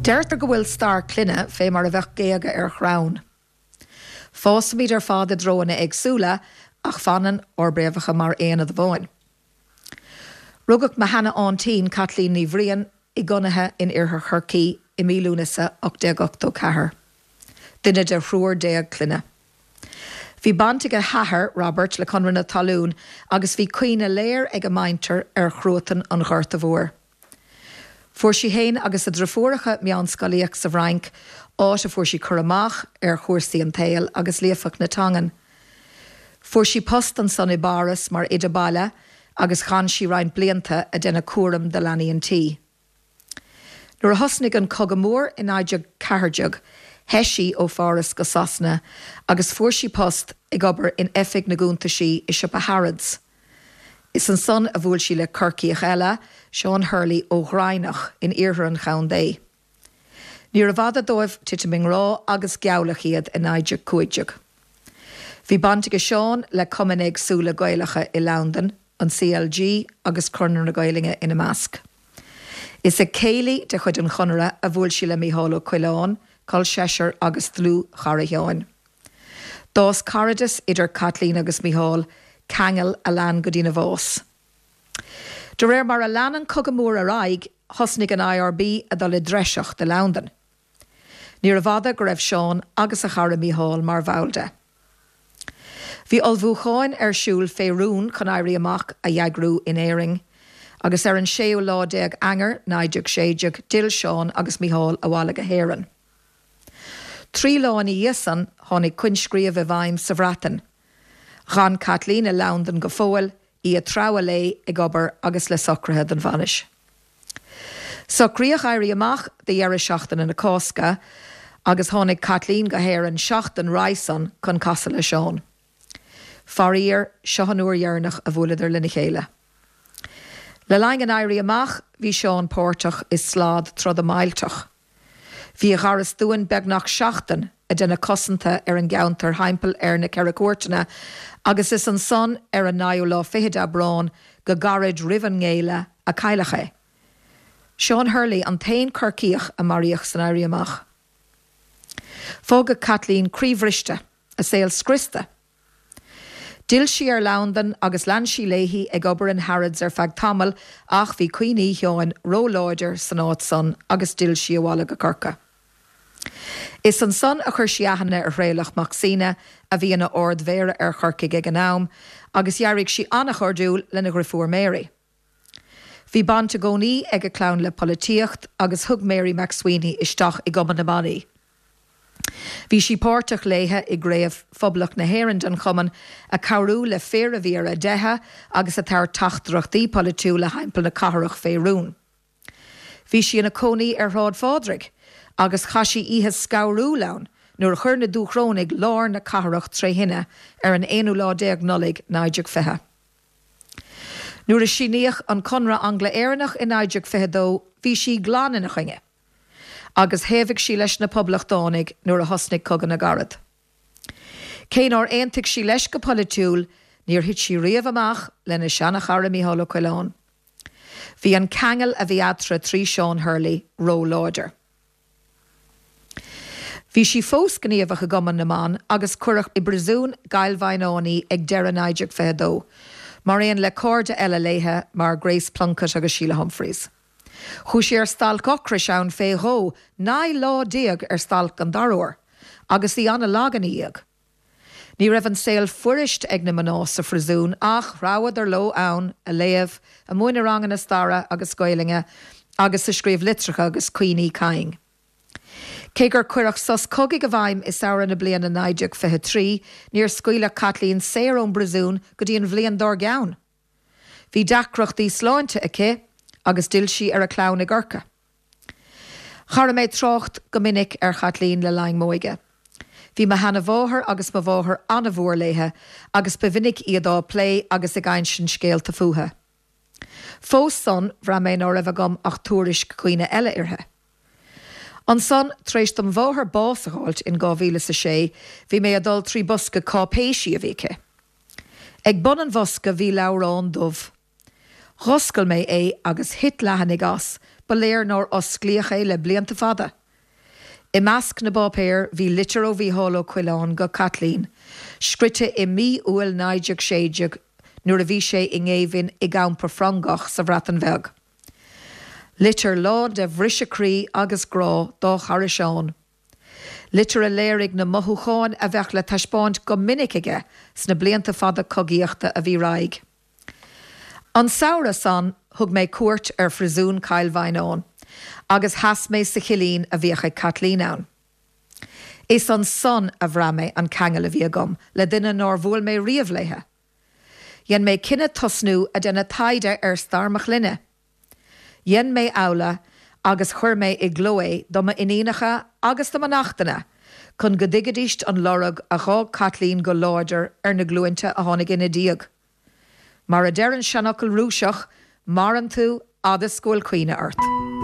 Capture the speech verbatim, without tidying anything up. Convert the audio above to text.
Deirtear go bhfuil stair clainne fé mar a bheadh géaga ar chrann. Fásaimid ar fad i dtreonna éagsúla ach fanann ár bpréamhacha mar aonad amháin. Rugadh mo sheana-aintín Caitlín Ní Bhriain i gConaithe in iarthar Chorcaí i mí Lúnasa ocht déag ochtó ceathair. Duine de thriúr déag clainne. Bhí baint ag a hathair Robert le Conradh na Talún agus bhí cuimhne léir ag a muintir ar chruatan an Ghorta Mhóir. Fuair sí féin agus a deirfiúracha meánscolaíocht sa bhFrainc, áit a fuair sí cur amach ar chúrsaí an tsaoil agus líofacht na teangan. Fuair sí post ansan i bPáras mar oide baile agus chaith sí roinnt blianta ag déanamh cúram de leanaí an tí. Nuair a thosnaigh an Cogadh Mór in naoi déag ceathair déag, theith sí ó Pháras go Sasana agus fuair sí post ag obair in oifig na gcuntaisí i siopa Harrods. Is ansan a bhuail sí le Corcaíoch eile, Seán Hurley ó Ghraineach in iarthar an chontae. Níorbh fhada dóibh titim i ngrá agus gealladh iad i naoi déag cúig déag. Bhí baint ag Seán le cumainn éagsúla Gaelacha i Londain, an CLG agus Conradh na Gaeilge ina measc. Is ag céilí de chuid an Chonartha a bhuail sí le Mícheál Ó Coileáin, col seisear agus dlúthchara Sheáin. D'fhás cairdeas idir Caitlín agus Mícheál, ceangal a lean go dtína bhás. De réir mar a lean an Cogadh Mór ar aghaidh, thosnaigh an IRB ag dul i dtreiseacht i Londain. Níorbh fhada go raibh Seán agus a chara Mícheál mar bhall de. Bhí ullmhúcháin ar siúl fé rún chun éirí amach a eagrú in Éirinn, agus ar an séú lá déag Eanáir naoi déag sé déag d'fhill Seán agus Mícheál abhaile go hÉirinn. Trí lá ina dhiaidh san tháinig coinscríobh i bhfeidhm sa Bhreatain. D'fhan Caitlín i Londain go fóill, í ag treabhadh léi ag obair agus le socruithe don bhainis. Socraíodh éirí amach do dheireadh seachtaine na Cásca agus tháinig Caitlín go hÉirinn seachtain roimhe san chun casadh le Seán. Faraor, seo an uair dheireanach a bhuaileadar lena chéile. Le linn an éirí amach bhí Seán páirteach i slad troda millteach. Bhí a gharastún beagnach seachtain ag déanamh cosanta ar an gceantar thimpeall ar na Ceithre Cúirteanna agus is ansan ar an naoú lá fichead Aibreán go gairid roimh an ngéilleadh a cailleadh é. Seán Hurley an t-aon Chorcaíoch a maraíodh san éirí amach. Fágadh Caitlín croíbhriste, a saol scriosta. D'fhill sí ar Londain agus lean sí léi ag obair in Harrods ar feadh tamaill ach bhí cuimhní Sheáin róláidir san áit san agus d'fhill sí abhaile go Corcaigh. Is ansan a chuir sí aithne ar Thraolach Mac Suibhne a bhí ina ardmhéara ar Chorcaigh ag an am agus d'éirigh sí an-chairdiúil lena dheirfiúr Mary. Bhí baint i gcónaí ag a clann le polaitíocht agus thug Mary MacSwiney isteach i gCumann na mBan í. Bhí sí páirteach léithe i gcraobh Phoblacht na hÉireann den chumann ag cabhrú le fir a bhí ar a dteitheadh agus ag tabhairt teachtaireachtaí polaitiúla thimpeall na cathrach fé rún. Bhí sí ina cónaí ar Shráid Phádraig agus chaith sí oíche scanrúil ann nuair a chuir na Dúchrónaigh lár na cathrach tré thine ar an aonú lá déag Nollaig naoi déag fiche. Nuair a síníodh an Conradh Angla-Éireannach i naoi déag fiche dó bhí sí glan ina choinne, agus thaobhaigh sí leis na Poblachtánaigh nuair a thosnaigh Cogadh na gCarad. Cé nár aontaigh sí leis go polaitiúil, níor thit sí riamh amach lena seanchara Mícheál Ó Coileáin. Bhí an ceangal a bhí eatarthu trí Seán Hurley róláidir. Bhí sí fós gníomhach i gCumann na mBan agus cuireadh i bpríosún Chill Mhaighneáin í ag deireadh naoi déag fiche dó, mar aon le cairde eile léithe mar Grace Plunkett agus Sheila Humphreys. Chuaigh sí ar stailc ocrais ann fé dhó, naoi lá déag ar stailc an dara huair, agus í an-lag ina dhiaidh. Ní raibh an saol fuirist ag na mná sa phríosún ach threabhadar leo ann, ag léamh, ag múineadh ranganna staire agus Gaelainne agus ag scríobh litreacha agus cuimhní cinn. Cé gur cuireadh sos cogaidh i bhfeidhm i samhradh na bliana naoi déag fiche trí, níor scaoileadh Caitlín saor ón bpríosún go dtí an bhliain dár gcionn. Bhí deacrachtaí sláinte aici agus d'fhill sí ar a clann i gCorcaigh. Cha raibh mé ag trácht go minic ar Chaitlín le linn m'óige. Bhí mo sheanamháthair agus mo mháthair an-mhór léithe agus ba mhinic iad á plé agus ag insint scéalta fúithi. Fós san, bhraith mé ná raibh agam ach tuairisc dhaoine eile uirthi. Ansan, tar éis dom mháthair bás a fháilt in dhá mhíle is a sé, bhí mé ag dul trí bosca cáipéisí a bhí aici. Ag bun an bhosca bhí leabhrán dubh. Dh'oscail mé é agus thit leathanaigh as, ba léir nár osclaíodh é le blianta fada. I measc na bpáipéar bhí litir ó Mhícheál Ó Coileáin go Caitlín, scríte i mí Iúil naoi déag sé déag nuair a bhí sé i ngéibheann i gcampa Frongoch sa Bhreatain Bheag. Litir lán de bhriseadh croí agus grá dá chara Seán. Litir a léirigh na mothúcháin a bheadh le taispeáint go minic aige sna blianta fada cogaíochta a bhí roimhe. An samhradh san thug mé cuairt ar phríosún Chill Mhaighneáin agus sheas mé sa chillín a bhíodh ag Caitlín ann. Is ansan a bhraith mé an ceangal a bhí agam le duine nár bhuail mé riamh léithe. Dhein mé cinneadh tosnú a déanamh taighde ar stair mo chlainne. Dhein mé amhlaidh agus chuir mé i gcló é do m'iníonacha agus do mo neachtanna chun go dtuigfidís an lorg a d'fhág Caitlín go láidir ar na glúinte a tháinig ina diaidh. Mar a deir an seanfhocal Rúiseach, maireann tú fhad is go bhfuil cuimhne ort.